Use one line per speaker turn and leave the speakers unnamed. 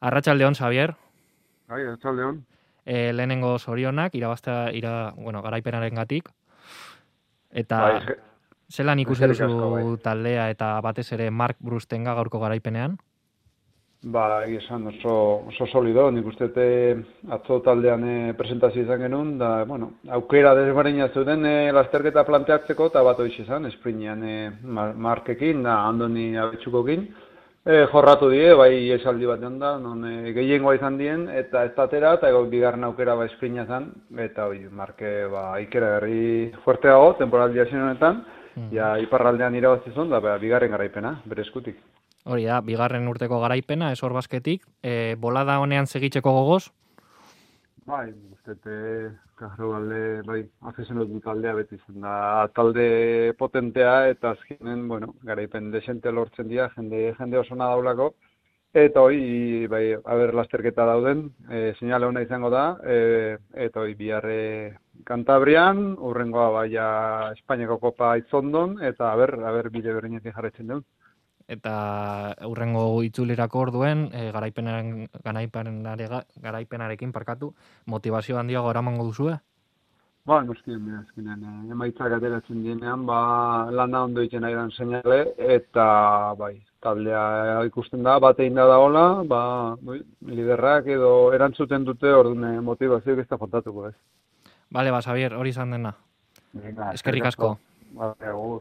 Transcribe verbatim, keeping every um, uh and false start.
Arratsaldeon, Xavier.
Bai, arratsaldeon.
E, lehenengo zorionak, irabaztea, ira, bueno, garaipenarengatik. Eta
Bai, eske-
zelan ikusi
eskerrik asko, bai.
duzu taldea eta batez ere Mark Brustenga gaurko garaipenean?
Ba, egia esan oso, oso solido, nik uste dut, eh, atzo taldean eh, presentazio izan genuen, da, bueno, aukera desberdina zuten eh, lasterketa planteatzeko, eta bat hoiz izan, esprinean eh, Mar- Markekin, da, Andoni Abetxukokin, eh, jorratu die, bai esaldi bat da, non eh, gehiengoa izan dien, eta ez datera, eta ego bigarren aukera ba esprina zen, eta hoi, Marke, ba, ikera berri fuerteago, temporaldia zen honetan, ja, iparraldean irabazi zuen, da, ba, bigarren garaipena, bere eskutik.
Hori da, bigarren urteko garaipena, esor basketik, e, bolada honean segitzeko gogoz?
Bai, uste, Kajro alde, bai, afizionatu du taldea beti zen da, talde potentea eta azkenen, bueno, garaipen desente lortzen dira, jende, jende oso daulako, eta hoi, bai, haber lasterketa dauden, e, seinale ona izango da, e, eta hoi, biharre Kantabrian, urrengoa baia Espainiako Kopa Itzondon, eta haber, haber bide berdinetik jarraitzen duen.
Eta hurrengo itzulerako orduen, e, garaipenaren, garaipenare, garaipenarekin parkatu, motivazio handiago eramango duzue?
Ba, noskien, azkenean, eh, emaitzak ateratzen dienean, ba, lana ondo egiten ari den seinale, eta, bai, taldea ikusten da, bat egin da dagoela, ba, bai, liderrak edo erantzuten dute, orduan motivazioak ez da faltatuko, ez.
Bale, ba, Xavier, hori izan dena.
Venga,
Eskerrik asko.
Ba, agur.